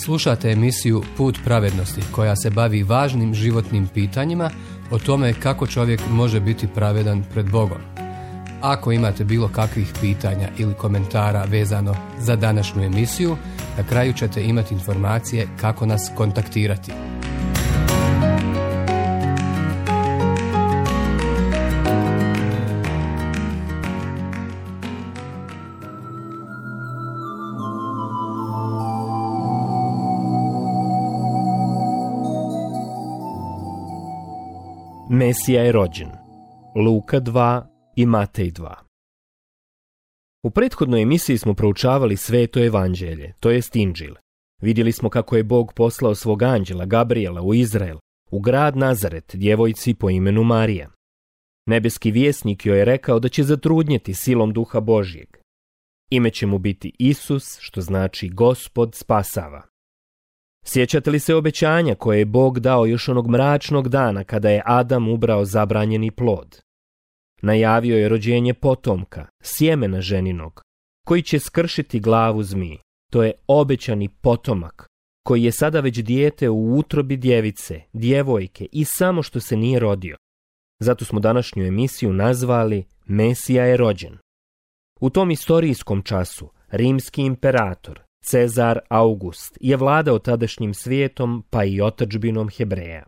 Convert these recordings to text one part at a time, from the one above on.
Slušate emisiju Put pravednosti koja se bavi važnim životnim pitanjima o tome kako čovjek može biti pravedan pred Bogom. Ako imate bilo kakvih pitanja ili komentara vezano za današnju emisiju, na kraju ćete imati informacije kako nas kontaktirati. Mesija je rođen. Luka 2 i Matej 2. U prethodnoj emisiji smo proučavali Sveto evanđelje, to jest Inđil. Vidjeli smo kako je Bog poslao svog anđela Gabriela u Izrael, u grad Nazaret, djevojci po imenu Marija. Nebeski vjesnik joj je rekao da će zatrudnjeti silom Duha Božjeg. Ime će mu biti Isus, što znači Gospod spasava. Sjećate li se obećanja koje je Bog dao još onog mračnog dana kada je Adam ubrao zabranjeni plod? Najavio je rođenje potomka, sjemena ženinog, koji će skršiti glavu zmiji. To je obećani potomak, koji je sada već dijete u utrobi djevice, djevojke i samo što se nije rodio. Zato smo današnju emisiju nazvali Mesija je rođen. U tom istorijskom času rimski imperator Cezar August je vladao tadašnjim svijetom pa i otadžbinom Hebreja.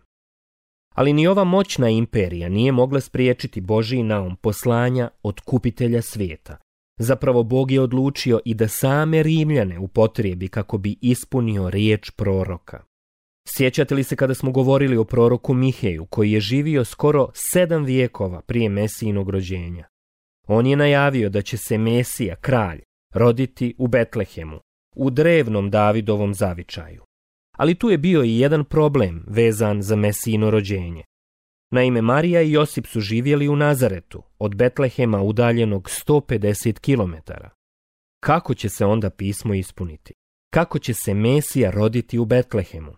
Ali ni ova moćna imperija nije mogla spriječiti Božji naum poslanja otkupitelja svijeta. Zapravo Bog je odlučio i da same Rimljane upotrijebi kako bi ispunio riječ proroka. Sjećate li se kada smo govorili o proroku Miheju, koji je živio skoro 7 vijekova prije Mesijinog rođenja? On je najavio da će se Mesija, kralj, roditi u Betlehemu, u drevnom Davidovom zavičaju. Ali tu je bio i jedan problem vezan za Mesijino rođenje. Naime, Marija i Josip su živjeli u Nazaretu, od Betlehema udaljenog 150 km. Kako će se onda pismo ispuniti? Kako će se Mesija roditi u Betlehemu?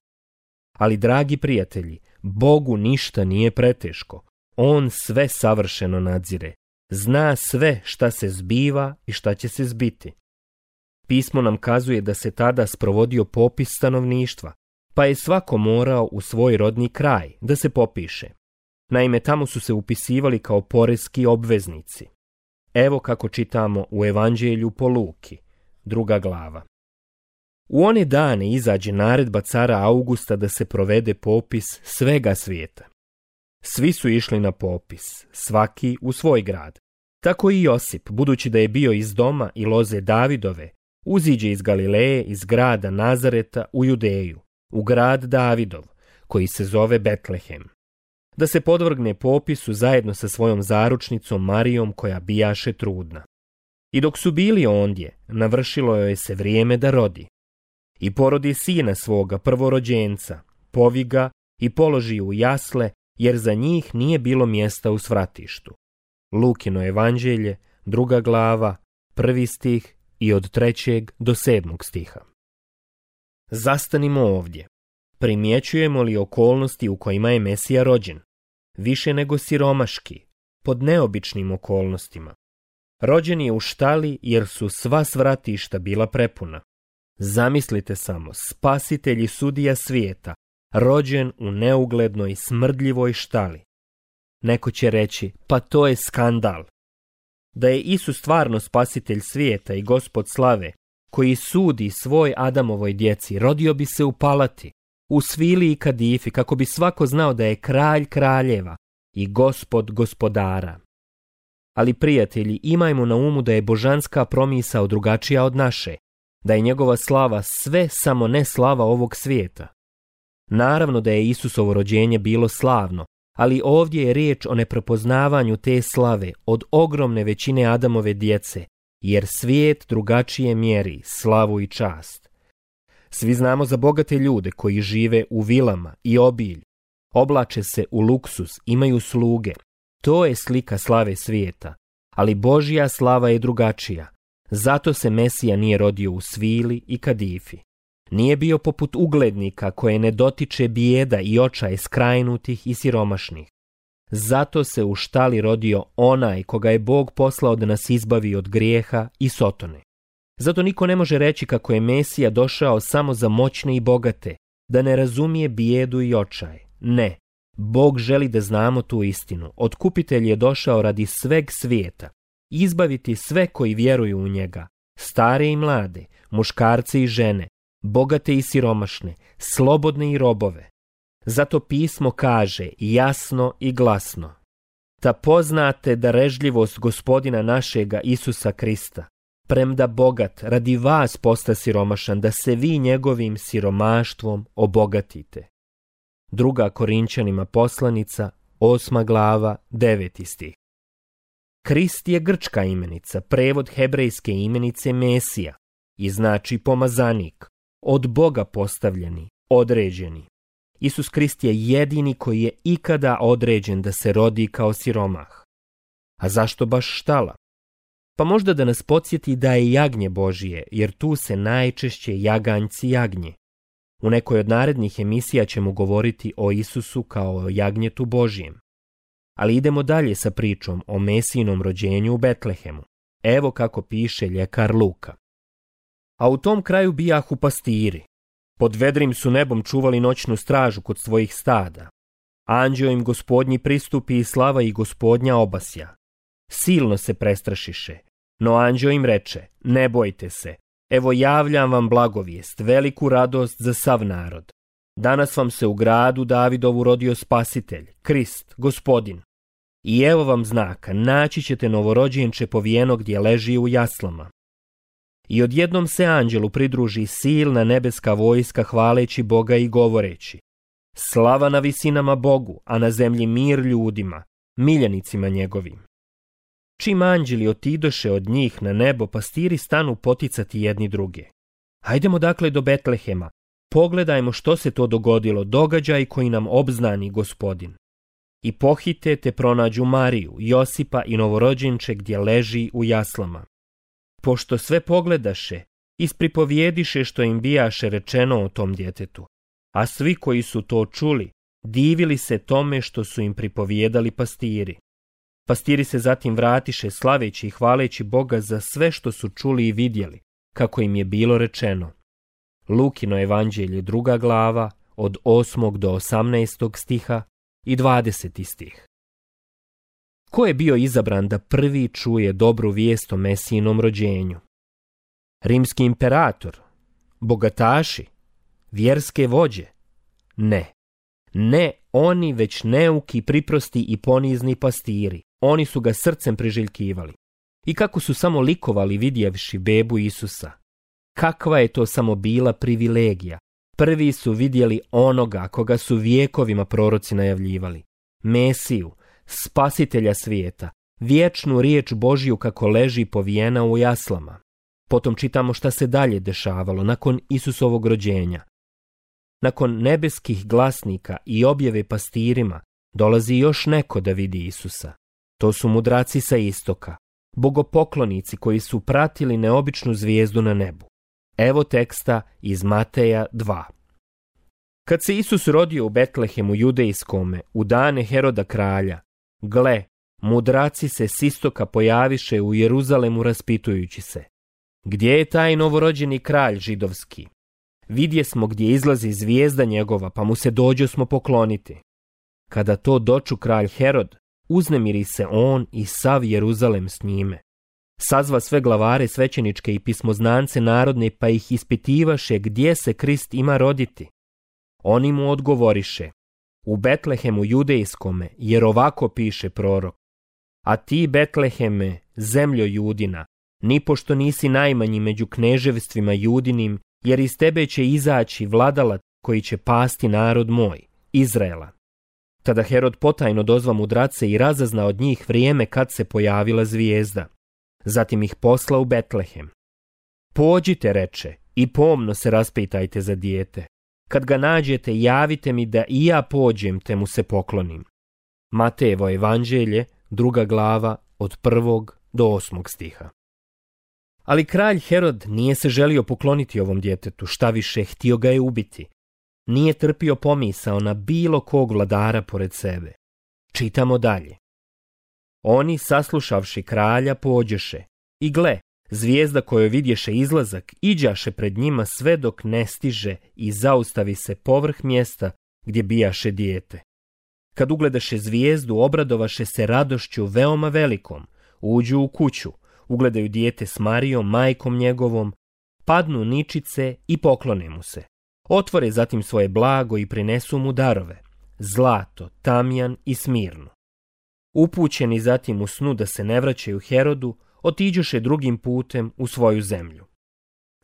Ali, dragi prijatelji, Bogu ništa nije preteško. On sve savršeno nadzire. Zna sve šta se zbiva i šta će se zbiti. Pismo nam kazuje da se tada sprovodio popis stanovništva, pa je svako morao u svoj rodni kraj da se popiše. Naime, tamo su se upisivali kao poreski obveznici. Evo kako čitamo u Evanđelju po Luki, 2. glava. U one dane izađe naredba cara Augusta da se provede popis svega svijeta. Svi su išli na popis, svaki u svoj grad. Tako i Josip, budući da je bio iz doma i loze Davidove, uziđe iz Galileje, iz grada Nazareta u Judeju, u grad Davidov, koji se zove Betlehem, da se podvrgne popisu zajedno sa svojom zaručnicom Marijom koja bijaše trudna. I dok su bili ondje, navršilo joj se vrijeme da rodi. I porodi sina svoga prvorođenca, povi ga i položi u jasle, jer za njih nije bilo mjesta u svratištu. Lukino evanđelje, 2. glava, 1. stih i od 3. do 7. stiha. Zastanimo ovdje. Primjećujemo li okolnosti u kojima je Mesija rođen? Više nego siromaški, pod neobičnim okolnostima. Rođen je u štali jer su sva svratišta bila prepuna. Zamislite samo, spasitelj i sudija svijeta, rođen u neuglednoj smrdljivoj štali. Neko će reći, pa to je skandal. Da je Isus stvarno spasitelj svijeta i Gospod slave, koji sudi svoj Adamovoj djeci, rodio bi se u palati, u svili i kadifi, kako bi svako znao da je kralj kraljeva i Gospod gospodara. Ali, prijatelji, imajmo na umu da je božanska promisao drugačija od naše, da je njegova slava sve samo ne slava ovog svijeta. Naravno da je Isusovo rođenje bilo slavno, ali ovdje je riječ o neprepoznavanju te slave od ogromne većine Adamove djece, jer svijet drugačije mjeri slavu i čast. Svi znamo za bogate ljude koji žive u vilama i obilju, oblače se u luksus, imaju sluge. To je slika slave svijeta, ali Božja slava je drugačija. Zato se Mesija nije rodio u svili i kadifi. Nije bio poput uglednika koje ne dotiče bijeda i očaj skrajnutih i siromašnih. Zato se u štali rodio onaj koga je Bog poslao da nas izbavi od grijeha i sotone. Zato niko ne može reći kako je Mesija došao samo za moćne i bogate, da ne razumije bijedu i očaj. Ne, Bog želi da znamo tu istinu. Otkupitelj je došao radi sveg svijeta, izbaviti sve koji vjeruju u njega, stare i mlade, muškarce i žene, bogate i siromašne, slobodne i robove. Zato pismo kaže jasno i glasno: da poznate darežljivost Gospodina našega Isusa Krista, premda bogat radi vas posta siromašan, da se vi njegovim siromaštvom obogatite. 2. Korinćanima poslanica, 8. glava, 9. stih. Krist je grčka imenica, prevod hebrejske imenice Mesija, i znači pomazanik, od Boga postavljeni, određeni. Isus Krist je jedini koji je ikada određen da se rodi kao siromah. A zašto baš štala? Pa možda da nas podsjeti da je jagnje Božije, jer tu se najčešće jaganjci jagnje. U nekoj od narednih emisija ćemo govoriti o Isusu kao o jagnjetu Božijem. Ali idemo dalje sa pričom o Mesijinom rođenju u Betlehemu. Evo kako piše ljekar Luka. A u tom kraju bijahu pastiri. Pod vedrim su nebom čuvali noćnu stražu kod svojih stada. Anđeo im Gospodnji pristupi i slava i Gospodnja obasja. Silno se prestrašiše, no anđeo im reče: ne bojte se, evo javljam vam blagovijest, veliku radost za sav narod. Danas vam se u gradu Davidovu rodio Spasitelj, Krist, Gospodin. I evo vam znaka, naći ćete novorođenče povijeno gdje leži u jaslama. I odjednom se anđelu pridruži silna nebeska vojska hvaleći Boga i govoreći: slava na visinama Bogu, a na zemlji mir ljudima, miljenicima njegovim. Čim anđeli otidoše od njih na nebo, pastiri stanu poticati jedni druge. Hajdemo dakle do Betlehema, pogledajmo što se to dogodilo, događaj koji nam obznani Gospodin. I pohite te pronađu Mariju, Josipa i novorođenče gdje leži u jaslama. Pošto sve pogledaše, ispripovijediše što im bijaše rečeno o tom djetetu, a svi koji su to čuli, divili se tome što su im pripovijedali pastiri. Pastiri se zatim vratiše slaveći i hvaleći Boga za sve što su čuli i vidjeli, kako im je bilo rečeno. Lukino evanđelje 2. glava, od 8. do 18. stiha i 20. stih. Ko je bio izabran da prvi čuje dobru vijest o Mesijinom rođenju? Rimski imperator? Bogataši? Vjerske vođe? Ne. Ne oni, već neuki, priprosti i ponizni pastiri. Oni su ga srcem priželjkivali. I kako su samo likovali vidjevši bebu Isusa. Kakva je to samo bila privilegija. Prvi su vidjeli onoga koga su vjekovima proroci najavljivali. Mesiju, spasitelja svijeta, vječnu riječ Božju kako leži povijena u jaslama. Potom čitamo šta se dalje dešavalo nakon Isusovog rođenja. Nakon nebeskih glasnika i objave pastirima dolazi još neko da vidi Isusa. To su mudraci sa istoka, bogopoklonici koji su pratili neobičnu zvijezdu na nebu. Evo teksta iz Mateja 2. Kad se Isus rodio u Betlehemu judejskome, u dane Heroda kralja, gle, mudraci se s istoka pojaviše u Jeruzalemu raspitujući se: gdje je taj novorođeni kralj židovski? Vidje smo gdje izlazi zvijezda njegova, pa mu se dođosmo pokloniti. Kada to doču kralj Herod, uznemiri se on i sav Jeruzalem s njime. Sazva sve glavare svećeničke i pismoznance narodne, pa ih ispitivaše gdje se Krist ima roditi. Oni mu odgovoriše: u Betlehemu judejskome, jer ovako piše prorok: a ti, Betleheme, zemljo Judina, nipošto nisi najmanji među kneževstvima Judinim, jer iz tebe će izaći vladalac koji će pasti narod moj, Izraela. Tada Herod potajno dozva mudrace i razazna od njih vrijeme kad se pojavila zvijezda. Zatim ih posla u Betlehem. Pođite, reče, i pomno se raspitajte za dijete. Kad ga nađete, javite mi da i ja pođem te mu se poklonim. Matejevo evanđelje, 2. glava, od 1. do 8. stiha. Ali kralj Herod nije se želio pokloniti ovom djetetu, šta više, htio ga je ubiti. Nije trpio pomisao na bilo kog vladara pored sebe. Čitamo dalje. Oni, saslušavši kralja, pođeše. I gle, Zvijezda kojoj vidješe izlazak iđaše pred njima sve dok ne stiže i zaustavi se povrh mjesta gdje bijaše dijete. Kad ugledaše zvijezdu, obradovaše se radošću veoma velikom, uđu u kuću, ugledaju dijete s Marijom, majkom njegovom, padnu ničice i poklone mu se. Otvore zatim svoje blago i prinesu mu darove, zlato, tamjan i smirnu. Upućeni zatim u snu da se ne vraćaju Herodu, otiđoše drugim putem u svoju zemlju.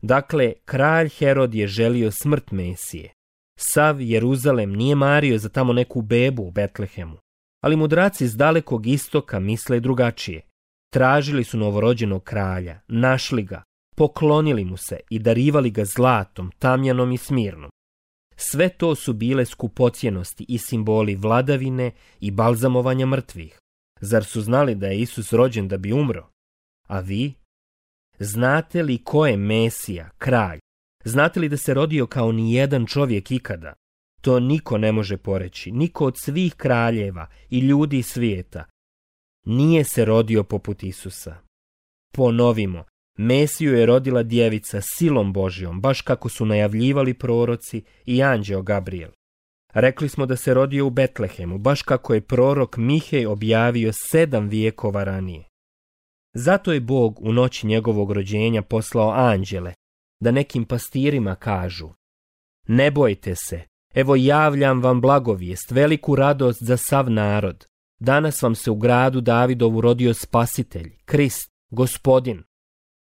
Dakle, kralj Herod je želio smrt Mesije. Sav Jeruzalem nije mario za tamo neku bebu u Betlehemu, ali mudraci s dalekog istoka misle drugačije. Tražili su novorođenog kralja, našli ga, poklonili mu se i darivali ga zlatom, tamjanom i smirnom. Sve to su bile skupocjenosti i simboli vladavine i balzamovanja mrtvih. Zar su znali da je Isus rođen da bi umro? A vi? Znate li ko je Mesija, kralj? Znate li da se rodio kao ni jedan čovjek ikada? To niko ne može poreći, niko od svih kraljeva i ljudi svijeta. Nije se rodio poput Isusa. Ponovimo, Mesiju je rodila djevica silom Božjom, baš kako su najavljivali proroci i anđeo Gabriel. Rekli smo da se rodio u Betlehemu, baš kako je prorok Mihej objavio 7 vijekova ranije. Zato je Bog u noći njegovog rođenja poslao anđele, da nekim pastirima kažu: ne bojte se, evo javljam vam blagovijest, veliku radost za sav narod. Danas vam se u gradu Davidovu rodio Spasitelj, Krist, Gospodin.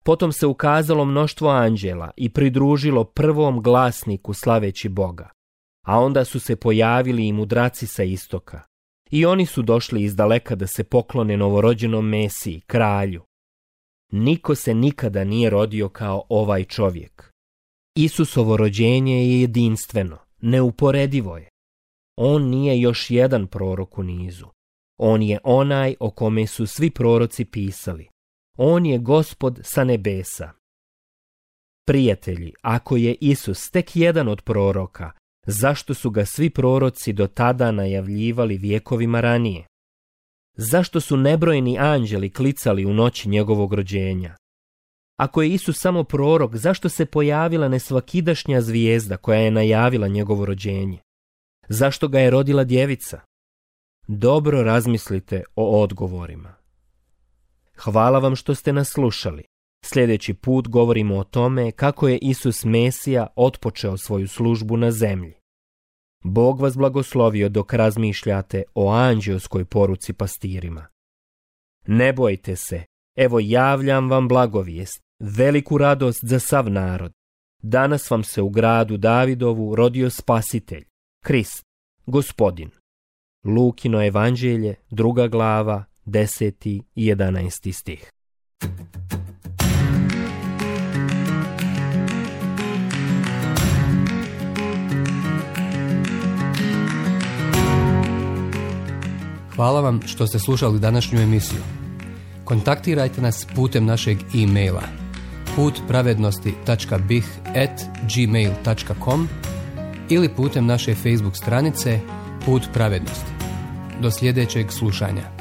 Potom se ukazalo mnoštvo anđela i pridružilo prvom glasniku slaveći Boga. A onda su se pojavili i mudraci sa istoka. I oni su došli izdaleka da se poklone novorođenom Mesiji, kralju. Niko se nikada nije rodio kao ovaj čovjek. Isusovo rođenje je jedinstveno, neuporedivo je. On nije još jedan prorok u nizu. On je onaj o kome su svi proroci pisali. On je Gospod sa nebesa. Prijatelji, ako je Isus tek jedan od proroka, zašto su ga svi proroci do tada najavljivali vjekovima ranije? Zašto su nebrojeni anđeli klicali u noći njegovog rođenja? Ako je Isus samo prorok, zašto se pojavila nesvakidašnja zvijezda koja je najavila njegovo rođenje? Zašto ga je rodila djevica? Dobro razmislite o odgovorima. Hvala vam što ste nas slušali. Sljedeći put govorimo o tome kako je Isus Mesija otpočeo svoju službu na zemlji. Bog vas blagoslovio dok razmišljate o anđelskoj poruci pastirima. Ne bojte se, evo javljam vam blagovijest, veliku radost za sav narod. Danas vam se u gradu Davidovu rodio Spasitelj, Krist, Gospodin. Lukino evanđelje, 2. glava, 10. i 11. stih. Hvala vam što ste slušali današnju emisiju. Kontaktirajte nas putem našeg e-maila putpravednosti.bih@gmail.com ili putem naše Facebook stranice Put pravednosti. Do sljedećeg slušanja.